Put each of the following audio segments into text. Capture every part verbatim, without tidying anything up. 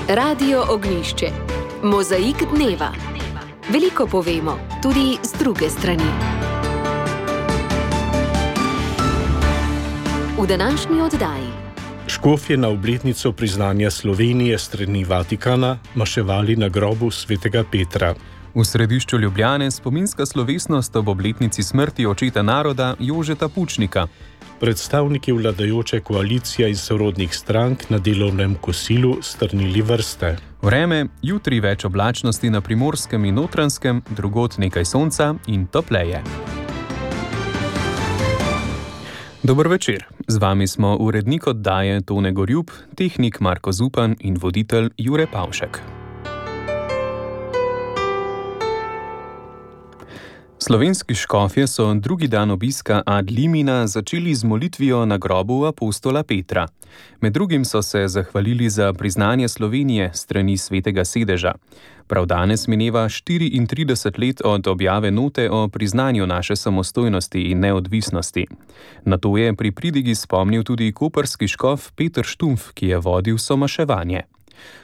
Radio Ognjišče. Mozaik dneva. Veliko povemo, tudi z druge strani. V današnji oddaji. Škofje na obletnico priznanja Slovenije strani Vatikana maševali na grobu svetega Petra. V središču Ljubljane spominska slovesnost ob obletnici smrti očeta naroda Jožeta Pučnika. Predstavniki vladajoče koalicije iz sorodnih strank na delovnem kosilu strnili vrste. Vreme, jutri več oblačnosti na Primorskem in Notranjskem, drugod nekaj sonca in topleje. Dober večer, z vami smo urednik oddaje Tone Gorjup, tehnik Marko Zupan in voditelj Jure Pavšek. Slovenski škofje so drugi dan obiska ad limina začeli z molitvijo na grobu apostola Petra. Med drugim so se zahvalili za priznanje Slovenije strani svetega sedeža. Prav danes mineva štiriintrideset let od objave note o priznanju naše samostojnosti in neodvisnosti. Na to je pri pridigi spomnil tudi koprski škof Peter Štumpf, ki je vodil somaševanje.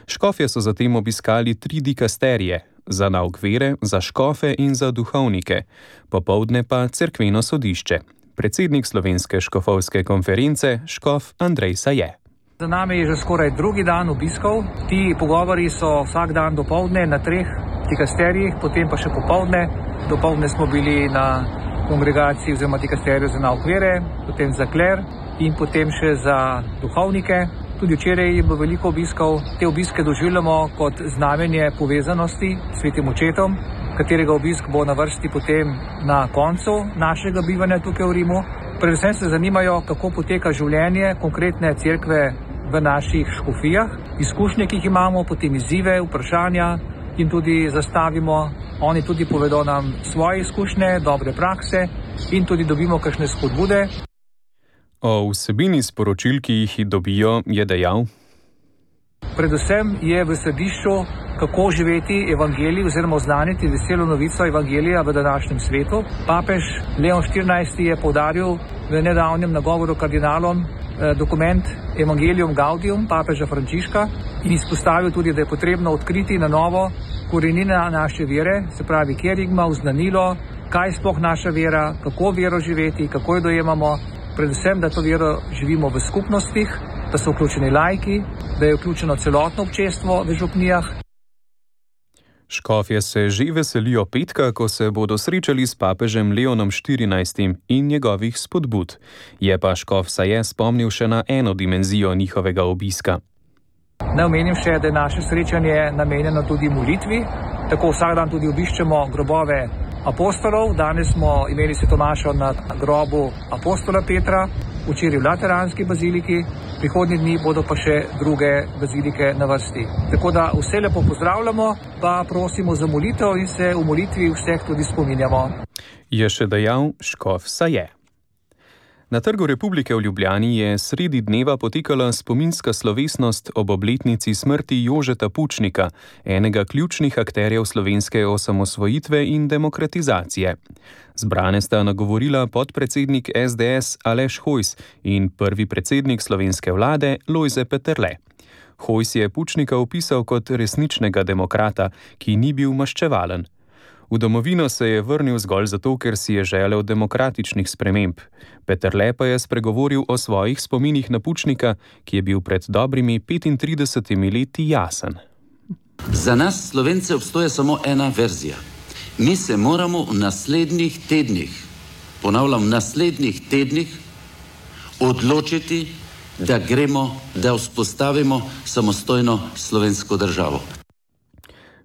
Škofje so zatem obiskali tri dikasterije, za nauk vere, za škofe in za duhovnike, popoldne pa cerkveno sodišče. Predsednik Slovenske škofovske konference, škof Andrej Saje. Za nami je že skoraj drugi dan obiskov. Ti pogovori so vsak dan dopoldne na treh dikasterijih, potem pa še popoldne. Dopoldne smo bili na kongregaciji oziroma dikasteriju za nauk vere, potem za kler in potem še za duhovnike. Tudi včeraj je bilo veliko obiskov. Te obiske doživljamo kot znamenje povezanosti s svetim očetom, katerega obisk bo na vrsti potem na koncu našega bivanja tukaj v Rimu. Predvsem se zanimajo, kako poteka življenje konkretne cerkve v naših škofijah, izkušnje, ki jih imamo, potem izzive, vprašanja in tudi zastavimo. Oni tudi povedo nam svoje izkušnje, dobre prakse in tudi dobimo kakšne spodbude. O vsebini sporočil, ki jih dobijo, je dejal: Predvsem je v središču, kako živeti evangelij oziroma oznaniti veselo novico evangelija v današnjem svetu. Papež Leon štirinajsti je poudaril v nedavnem nagovoru kardinalom eh, dokument Evangelium Gaudium papeža Frančiška in izpostavil tudi, da je potrebno odkriti na novo korenine naše vere, se pravi kerigma, oznanilo, kaj je sploh naša vera, kako vero živeti, kako jo dojemamo. Predvsem, da to vero živimo v skupnostih, da so vključeni laiki, da je vključeno celotno občestvo v župnijah. Škofje se že veselijo petka, ko se bodo srečali s papežem Leonom štirinajstim in njegovih spodbud. Je pa škof Saje spomnil še na eno dimenzijo njihovega obiska. Naj omenim še, da je naše srečanje namenjeno tudi molitvi. Tako vsak dan tudi obiščemo grobove apostolov. Danes smo imeli svetomašo na grobu apostola Petra, včeraj v Lateranski baziliki, prihodnji dni bodo pa še druge bazilike na vrsti. Tako da vse lepo pozdravljamo, pa prosimo za molitev in se v molitvi vseh tudi spominjamo. Je še dejal škof Saje. Na Trgu Republike v Ljubljani je sredi dneva potekala spominska slovesnost ob obletnici smrti Jožeta Pučnika, enega ključnih akterjev slovenske osamosvojitve in demokratizacije. Zbrane sta nagovorila podpredsednik es de es Aleš Hojs in prvi predsednik slovenske vlade Lojze Peterle. Hojs je Pučnika opisal kot resničnega demokrata, ki ni bil maščevalen. V domovino se je vrnil zgolj zato, ker si je želel demokratičnih sprememb. Peterle pa je spregovoril o svojih spominih na Pučnika, ki je bil pred dobrimi petintridesetimi leti jasen. Za nas Slovence obstoja samo ena verzija. Mi se moramo v naslednjih tednih, ponavljam, v naslednjih tednih odločiti, da gremo, da vzpostavimo samostojno slovensko državo.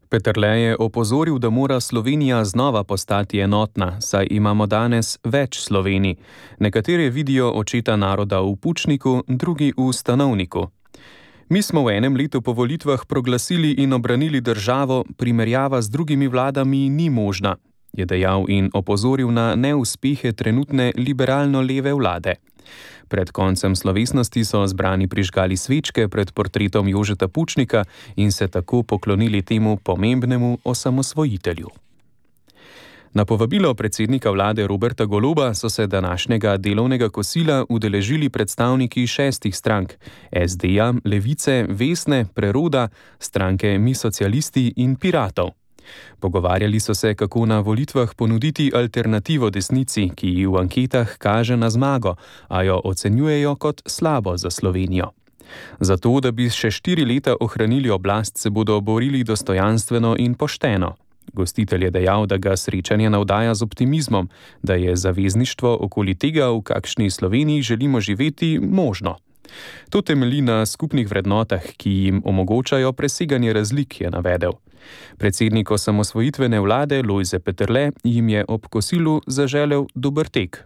Peterle je opozoril, da mora Slovenija znova postati enotna, saj imamo danes več Slovenij. Nekateri vidijo očeta naroda v Pučniku, drugi v Stanovniku. Mi smo v enem letu po volitvah proglasili in obranili državo, primerjava z drugimi vladami ni možna, je dejal in opozoril na neuspehe trenutne liberalno-leve vlade. Pred koncem slovesnosti so zbrani prižgali svečke pred portretom Jožeta Pučnika in se tako poklonili temu pomembnemu osamosvojitelju. Na povabilo predsednika vlade Roberta Goloba so se današnjega delovnega kosila udeležili predstavniki šestih strank: es de ja, Levice, Vesne, Preroda, stranke Mi socialisti in Piratov. Pogovarjali so se, kako na volitvah ponuditi alternativo desnici, ki ji v anketah kaže na zmago, a jo ocenjujejo kot slabo za Slovenijo. Zato, da bi še štiri leta ohranili oblast, se bodo borili dostojanstveno in pošteno. Gostitelj je dejal, da ga srečanje navdaja z optimizmom, da je zavezništvo okoli tega, v kakšni Sloveniji želimo živeti, možno. To temelji na skupnih vrednotah, ki jim omogočajo preseganje razlik, je navedel. Predsednik osamosvojitvene vlade Lojze Peterle jim je ob kosilu zaželel dober tek.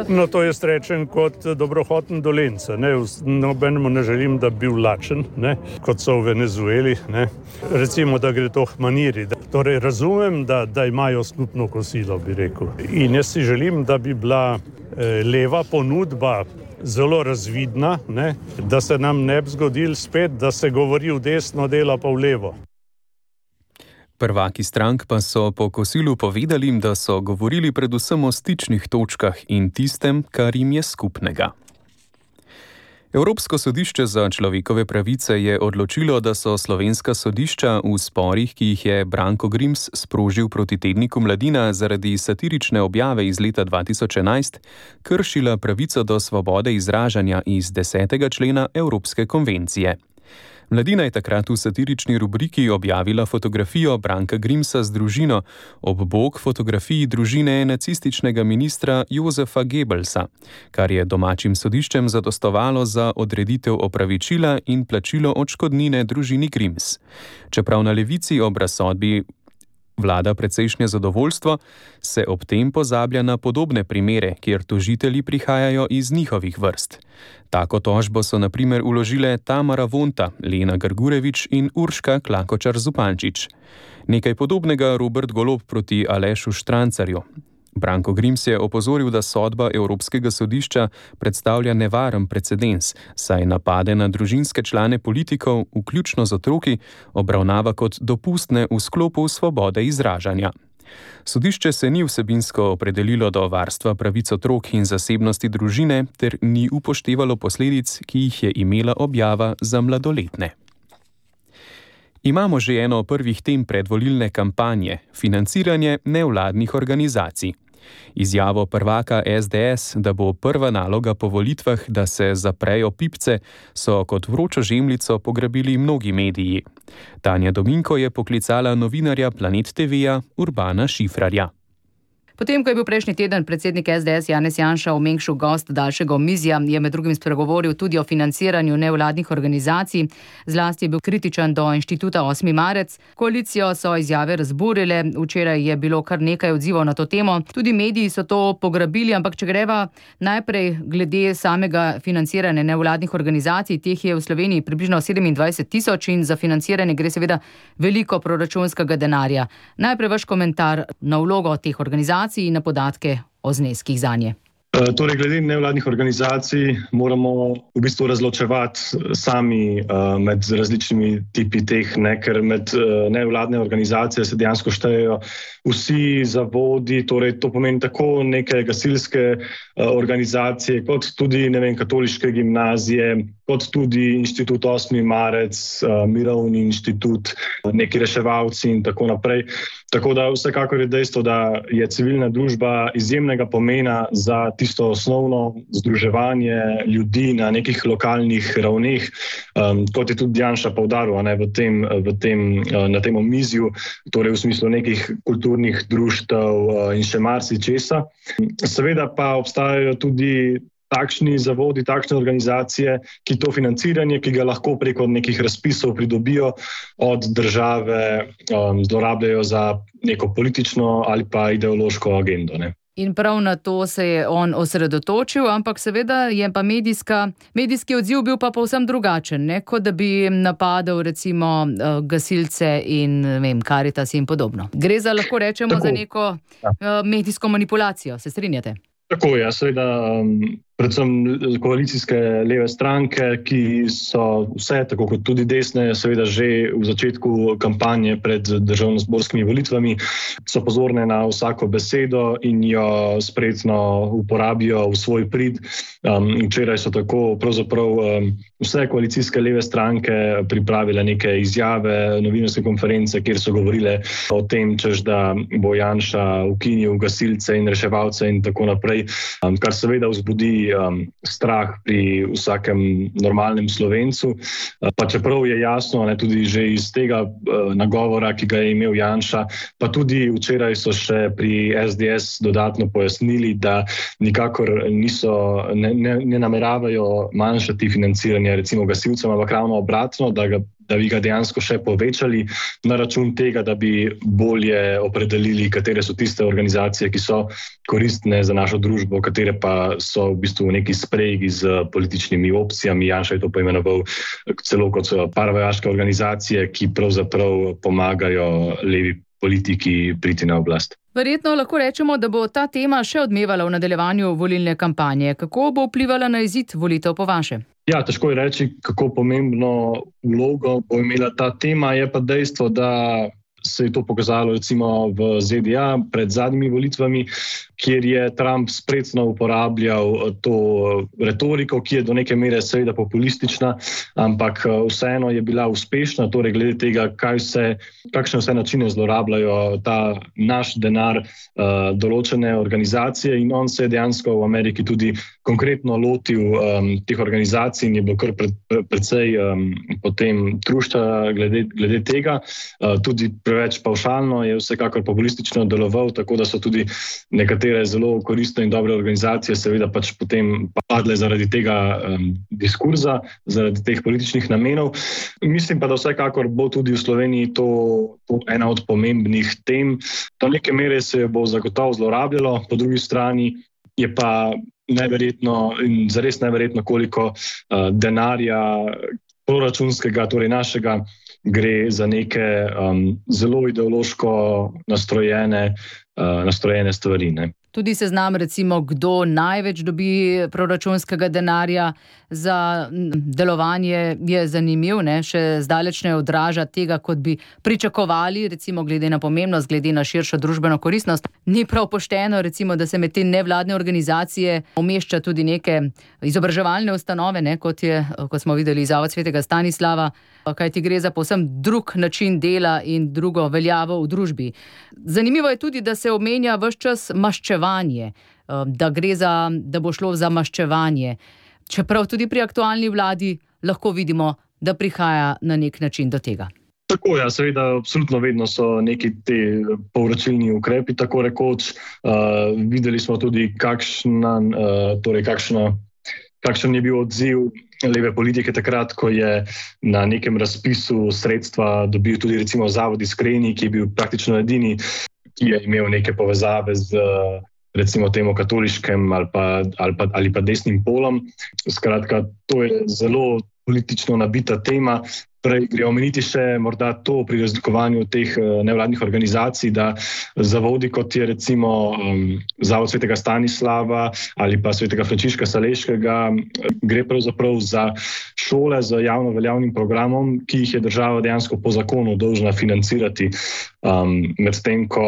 No, to jaz rečem kot dobrohoten Dolenjca. Nobenemu ne želim, da bi bil lačen, ne, kot so v Venezueli. Ne. Recimo, da gre to k maniri. Torej, razumem, da, da imajo skupno kosilo, bi rekel. In jaz si želim, da bi bila eh, leva ponudba zelo razvidna, ne, da se nam ne bi zgodil spet, da se govori v desno, dela pa v levo. Prvaki strank pa so po kosilu povedali, da so govorili predvsem o stičnih točkah in tistem, kar jim je skupnega. Evropsko sodišče za človekove pravice je odločilo, da so slovenska sodišča v sporih, ki jih je Branko Grims sprožil proti tedniku Mladina zaradi satirične objave iz leta dva tisoč enajst, kršila pravico do svobode izražanja iz desetega člena Evropske konvencije. Mladina je takrat v satirični rubriki objavila fotografijo Branka Grimsa z družino ob bok fotografiji družine nacističnega ministra Josefa Goebbelsa, kar je domačim sodiščem zadostovalo za odreditev opravičila in plačilo odškodnine družini Grims. Čeprav na levici ob razsodbi vlada precejšnje zadovoljstvo, se ob tem pozablja na podobne primere, kjer tožitelji prihajajo iz njihovih vrst. Tako tožbo so na primer vložile Tamara Vonta, Lena Grgurevič in Urška Klakočar Zupančič. Nekaj podobnega Robert Golob proti Alešu Štrancarju. Branko Grims je opozoril, da sodba Evropskega sodišča predstavlja nevaren precedens, saj napade na družinske člane politikov, vključno z otroki, obravnava kot dopustne v sklopu svobode izražanja. Sodišče se ni vsebinsko opredelilo do varstva pravic otrok in zasebnosti družine ter ni upoštevalo posledic, ki jih je imela objava za mladoletne. Imamo že eno prvih tem predvolilne kampanje, financiranje nevladnih organizacij. Izjavo prvaka es de es, da bo prva naloga po volitvah, da se zaprejo pipce, so kot vročo žemljico pograbili mnogi mediji. Tanja Dominko je poklicala novinarja Planet te veja Urbana Šifrarja. Potem, ko je bil prejšnji teden predsednik es de es Janez Janša v Mengšu gost daljšega omizja, je med drugim spregovoril tudi o financiranju nevladnih organizacij. Zlasti je bil kritičen do inštituta osmi marec. Koalicijo so izjave razburile, včeraj je bilo kar nekaj odzivov na to temo. Tudi mediji so to pograbili, ampak če greva najprej glede samega financiranja nevladnih organizacij, teh je v Sloveniji približno sedemindvajset tisoč in za financiranje gre seveda veliko proračunskega denarja. Najprej vaš komentar na vlogo teh organizacij in na podatke o zneskih zanje. Torej, glede nevladnih organizacij moramo v bistvu razločevati sami uh, med različnimi tipi teh, ne, ker med uh, nevladne organizacije se dejansko štejejo vsi zavodi, torej to pomeni tako neke gasilske uh, organizacije, kot tudi, ne vem, katoliške gimnazije, kot tudi inštitut osmi marec, uh, Mirovni inštitut, neki reševalci in tako naprej. Tako da vsekakor je dejstvo, da je civilna družba izjemnega pomena za tisto osnovno združevanje ljudi na nekih lokalnih ravneh, um, kot je tudi Janša poudaril, ne, v tem, v tem, na tem omizju, torej v smislu nekih kulturnih društev uh, in še marsičesa. Seveda pa obstajajo tudi takšni zavodi, takšne organizacije, ki to financiranje, ki ga lahko preko nekih razpisov pridobijo od države, um, zlorabljajo za neko politično ali pa ideološko agendo, ne. In prav na to se je on osredotočil, ampak seveda je pa medijska, medijski odziv bil pa povsem drugačen, ne? Kot da bi napadel recimo gasilce in vem, Karitas in podobno. Gre za, lahko rečemo, tako, za neko ja. medijsko manipulacijo, se strinjate? Tako je, seveda um, predvsem koalicijske leve stranke, ki so vse, tako kot tudi desne, seveda že v začetku kampanje pred državnozborskimi volitvami, so pozorne na vsako besedo in jo spretno uporabijo v svoj prid. Um, včeraj so tako pravzaprav um, vse koalicijske leve stranke pripravile neke izjave, novinarske konference, kjer so govorile o tem, češ da bo Janša ukinil gasilce in reševalce in tako naprej, um, kar seveda vzbudi um, strah pri vsakem normalnem Slovencu. Pa čeprav je jasno, ne, tudi že iz tega uh, nagovora, ki ga je imel Janša, pa tudi včeraj so še pri S D S dodatno pojasnili, da nikakor niso, ne, ne, ne nameravajo manjšati financiranje recimo gasilcem, ampak ravno obratno, da ga da bi ga dejansko še povečali na račun tega, da bi bolje opredelili, katere so tiste organizacije, ki so koristne za našo družbo, katere pa so v bistvu neki sprejgi z političnimi opcijami. Janša je to poimenoval celo kot paravojaške organizacije, ki pravzaprav pomagajo levi politiki priti na oblast. Verjetno lahko rečemo, da bo ta tema še odmevala v nadaljevanju volilne kampanje. Kako bo vplivala na izid volitev po vaše? Ja, težko je reči, kako pomembno vlogo bo imela ta tema. Je pa dejstvo, da se je to pokazalo recimo v Z D A pred zadnjimi volitvami, kjer je Trump spretno uporabljal to retoriko, ki je do neke mere seveda populistična, ampak vseeno je bila uspešna, torej glede tega, kaj vse, kakšne vse načine zlorabljajo ta naš denar uh, določene organizacije, in on se je dejansko v Ameriki tudi konkretno lotil um, teh organizacij in je bil kar pred, predvsej um, potem trušča glede, glede tega. Uh, tudi preveč pavšalno je vsekakor populistično deloval, tako da so tudi nekatere zelo koristne in dobre organizacije seveda pač potem padle zaradi tega um, diskurza, zaradi teh političnih namenov. Mislim pa, da vsekakor bo tudi v Sloveniji to, to ena od pomembnih tem. Do neke mere se bo zagotovo zlorabljalo, po drugi strani je pa neverjetno in zares neverjetno, koliko uh, denarja proračunskega, torej našega, gre za neke um, zelo ideološko nastrojene, uh, nastrojene stvari, ne. Tudi seznam, recimo, kdo največ dobi proračunskega denarja za delovanje, je zanimiv, ne? Še zdaleč ne odraža tega, kot bi pričakovali, recimo glede na pomembnost, glede na širšo družbeno koristnost. Ni prav pošteno, recimo, da se med te nevladne organizacije umešča tudi neke izobraževalne ustanove, ne? Kot je, kot smo videli, Zavod svetega Stanislava, kajti gre za povsem drug način dela in drugo veljavo v družbi. Zanimivo je tudi, da se omenja ves čas maščevanje, da gre za, da bo šlo za maščevanje. Čeprav tudi pri aktualni vladi lahko vidimo, da prihaja na nek način do tega. Tako, ja, seveda, absolutno vedno so neki te povračilni ukrepi, tako rekoč. Uh, videli smo tudi, kakšna, uh, torej kakšna, kakšen je bil odziv leve politike takrat, ko je na nekem razpisu sredstva dobil tudi recimo Zavod Iskreni, ki je bil praktično edini, ki je imel neke povezave z recimo temu katoliškem ali pa, ali pa, ali pa desnim polom. Skratka, to je zelo politično nabita tema. Prej gre omeniti še morda to pri razlikovanju teh nevladnih organizacij, da zavodi, kot je recimo um, Zavod svetega Stanislava ali pa svetega Frančiška Saleškega, gre pravzaprav za šole z javno veljavnim programom, ki jih je država dejansko po zakonu dolžna financirati. Um, medtem ko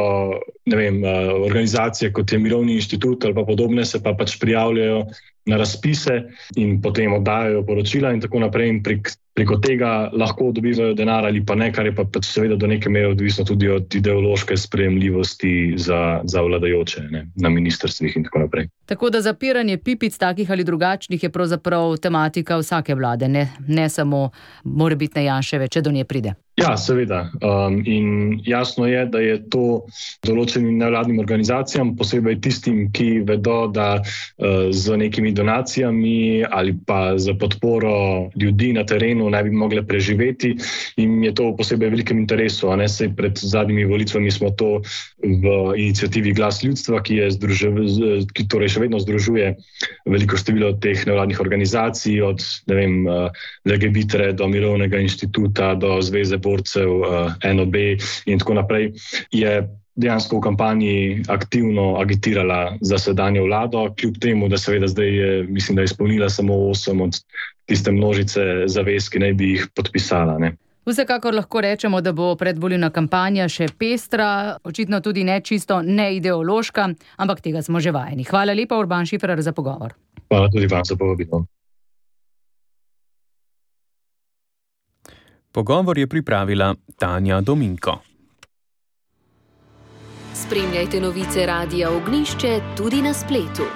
ne vem, organizacije kot je Mirovni inštitut ali pa podobne se pa pač prijavljajo na razpise in potem oddajajo poročila in tako naprej in prek preko tega lahko dobivajo denar ali pa ne, kar je pa pač seveda do neke mere odvisno tudi od ideološke sprejemljivosti za, za vladajoče, ne, na ministrstvih in tako naprej. Tako da zapiranje pipic takih ali drugačnih je pravzaprav tematika vsake vlade, ne, ne samo morebitne Janševe, če do nje pride. Ja, seveda. Um, in jasno je, da je to določenim nevladnim organizacijam, posebej tistim, ki vedo, da uh, z nekimi donacijami ali pa z podporo ljudi na terenu ne bi mogle preživeti, in je to v posebej velikem interesu. A ne, sej pred zadnjimi volitvami smo to v iniciativi Glas ljudstva, ki, je združe, ki torej še vedno združuje veliko število teh nevladnih organizacij, od ne vem, Legebitre do Mirovnega inštituta, do Zveze borcev, N O B in tako naprej, je dejansko v kampanji aktivno agitirala za sedanjo vlado, kljub temu, da seveda zdaj je, mislim, da je izpolnila samo osem od tiste množice zavez, ki naj bi jih podpisala. Ne. Vsekakor lahko rečemo, da bo predvolilna kampanja še pestra, očitno tudi ne čisto neideološka, ampak tega smo že vajeni. Hvala lepa, Urban Šifrer, za pogovor. Hvala tudi vam za povabilo. Pogovor je pripravila Tanja Dominko. Spremljajte novice Radia Ognjišče tudi na spletu.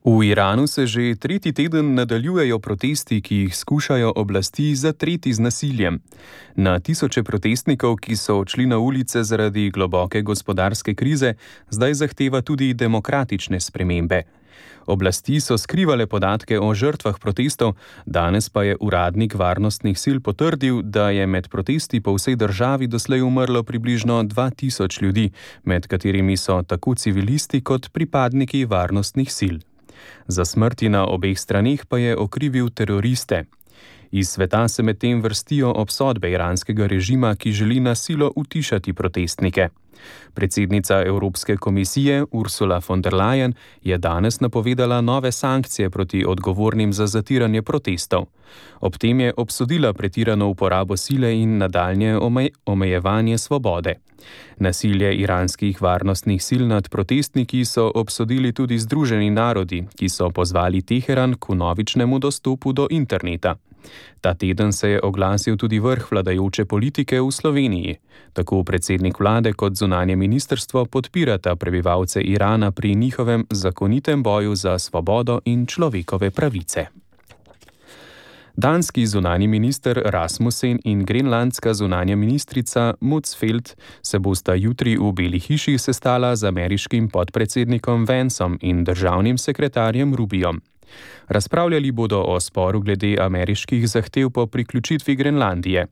V Iranu se že tretji teden nadaljujejo protesti, ki jih skušajo oblasti zatreti z nasiljem. Na tisoče protestnikov, ki so odšli na ulice zaradi globoke gospodarske krize, zdaj zahteva tudi demokratične spremembe. Oblasti so skrivale podatke o žrtvah protestov, danes pa je uradnik varnostnih sil potrdil, da je med protesti po vsej državi doslej umrlo približno dva tisoč ljudi, med katerimi so tako civilisti kot pripadniki varnostnih sil. Za smrti na obeh straneh pa je okrivil teroriste. Iz sveta se medtem vrstijo obsodbe iranskega režima, ki želi na silo utišati protestnike. Predsednica Evropske komisije Ursula von der Leyen je danes napovedala nove sankcije proti odgovornim za zatiranje protestov. Ob tem je obsodila pretirano uporabo sile in nadaljnje omej- omejevanje svobode. Nasilje iranskih varnostnih sil nad protestniki so obsodili tudi Združeni narodi, ki so pozvali Teheran k vnovičnemu dostopu do interneta. Ta teden se je oglasil tudi vrh vladajoče politike v Sloveniji. Tako predsednik vlade kot zunanje ministrstvo podpirata prebivalce Irana pri njihovem zakonitem boju za svobodo in človekove pravice. Danski zunanji minister Rasmussen in grenlandska zunanja ministrica Motzfeldt se bosta jutri v Beli hiši sestala z ameriškim podpredsednikom Vanceom in državnim sekretarjem Rubijem. Razpravljali bodo o sporu glede ameriških zahtev po priključitvi Grenlandije.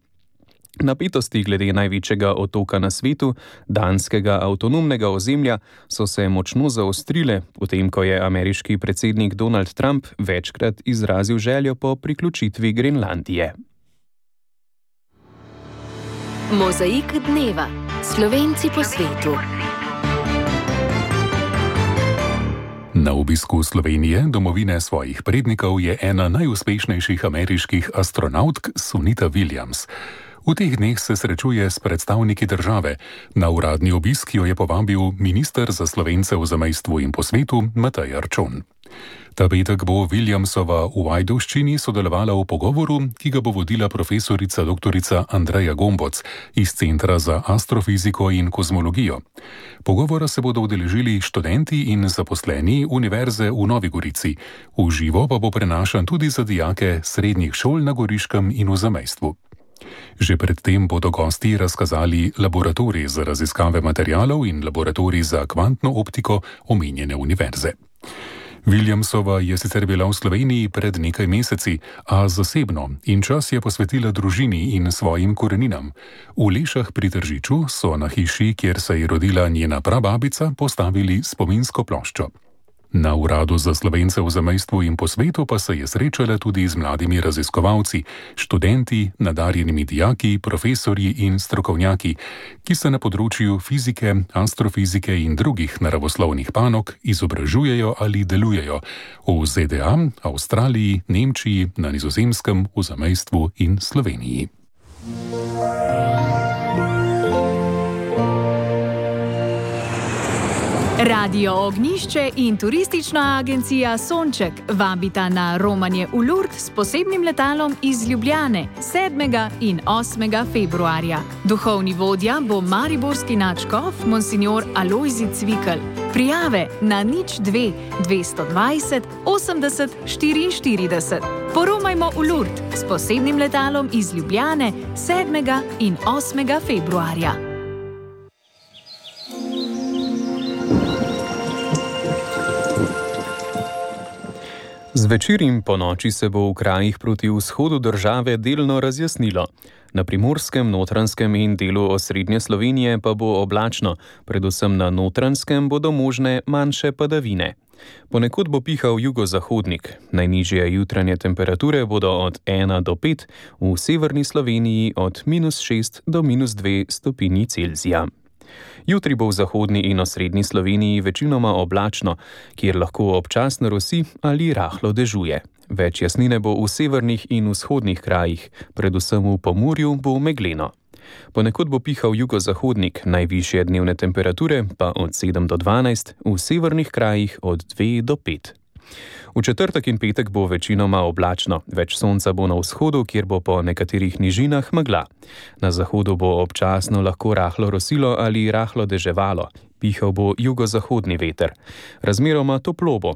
Napetosti glede največjega otoka na svetu, danskega avtonomnega ozemlja, so se močno zaostrile, potem ko je ameriški predsednik Donald Trump večkrat izrazil željo po priključitvi Grenlandije. Mozaik dneva. Slovenci po svetu. Na obisku Slovenije, domovine svojih prednikov, je ena najuspešnejših ameriških astronautk Sunita Williams. V teh dneh se srečuje s predstavniki države. Na uradni obisk jo je povabil minister za Slovence v zamejstvu in po svetu Matej Arčon. Ta petek bo Williamsova v Ajdovščini sodelovala v pogovoru, ki ga bo vodila profesorica doktorica Andreja Gomboc iz Centra za astrofiziko in kozmologijo. Pogovora se bodo udeležili študenti in zaposleni Univerze v Novi Gorici. V živo pa bo prenašan tudi za dijake srednjih šol na Goriškem in v zamejstvu. Že predtem bodo gosti razkazali laboratorij za raziskave materialov in laboratorij za kvantno optiko omenjene univerze. Williamsova je sicer bila v Sloveniji pred nekaj meseci, a zasebno, in čas je posvetila družini in svojim koreninam. V Lešah pri Tržiču so na hiši, kjer se je rodila njena prababica, postavili spominsko ploščo. Na Uradu za Slovence v zamejstvu in po svetu pa se je srečala tudi z mladimi raziskovalci, študenti, nadarjenimi dijaki, profesorji in strokovnjaki, ki se na področju fizike, astrofizike in drugih naravoslovnih panog izobražujejo ali delujejo v Z D A, Avstraliji, Nemčiji, na Nizozemskem, v zamejstvu in Sloveniji. Radio Ognjišče in turistična agencija Sonček vabita na romanje v Lourdes s posebnim letalom iz Ljubljane sedmega in osmega februarja. Duhovni vodja bo mariborski nadškof monsignor Alojzij Cvikl. Prijave na nič dve dvesto dvajset osemdeset štiriinštirideset. Poromajmo v Lourdes s posebnim letalom iz Ljubljane sedmega in osmega februarja. Zvečer in po noči se bo v krajih proti vzhodu države delno razjasnilo. Na Primorskem, Notranjskem in delu osrednje Slovenije pa bo oblačno, predvsem na Notranjskem bodo možne manjše padavine. Ponekod bo pihal jugozahodnik. Najnižje jutranje temperature bodo od ena do pet, v severni Sloveniji od minus šest do minus dve stopinji Celzija. Jutri bo v zahodni in osrednji Sloveniji večinoma oblačno, kjer lahko občasno rosi ali rahlo dežuje. Več jasnine bo v severnih in vzhodnih krajih, predvsem v Pomurju bo megleno. Ponekod bo pihal jugozahodnik, najvišje dnevne temperature pa od sedem do dvanajst, v severnih krajih od dve do pet. V četrtek in petek bo večinoma oblačno, več sonca bo na vzhodu, kjer bo po nekaterih nižinah megla. Na zahodu bo občasno lahko rahlo rosilo ali rahlo deževalo, pihal bo jugozahodni veter. Razmeroma toplo bo.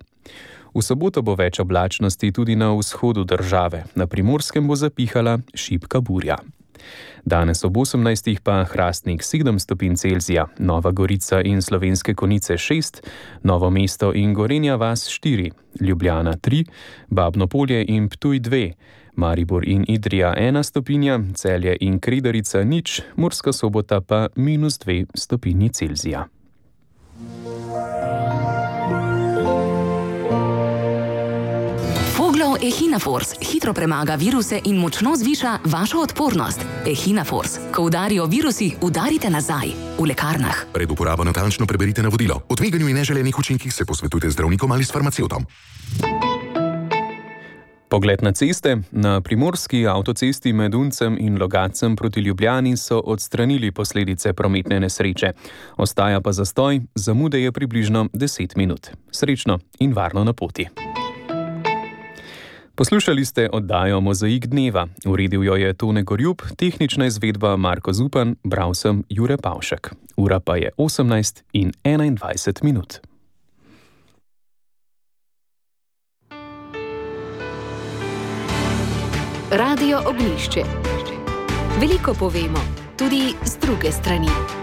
V soboto bo več oblačnosti tudi na vzhodu države, na Primorskem bo zapihala šibka burja. Danes ob osemnajstih pa Hrastnik sedem stopinj Celzija, Nova Gorica in Slovenske Konjice šest, Novo mesto in Gorenja vas štiri, Ljubljana tri, Babno Polje in Ptuj dve, Maribor in Idrija ena stopinja, Celje in Kredarica nič, Murska Sobota pa minus dve stopinji Celzija. Echinafors hitro premaga viruse in močno zviša vašo odpornost. Echinafors. Ko udarijo virusi, udarite nazaj. V lekarnah. Pred uporabo natančno preberite navodilo. O tveganju in neželenih učinkih se posvetujte z zdravnikom ali s farmacevtom. Pogled na ceste. Na primorski avtocesti med Uncem in Logatcem proti Ljubljani so odstranili posledice prometne nesreče. Ostaja pa zastoj, zamude je približno deset minut. Srečno in varno na poti. Poslušali ste oddajo Mozaik dneva. Uredil jo je Tone Gorjub, tehnična izvedba Marko Zupan, bral sem Jure Pavšek. Ura pa je osemnajst in enaindvajset minut. Radio Ognjišče. Veliko povemo, tudi z druge strani.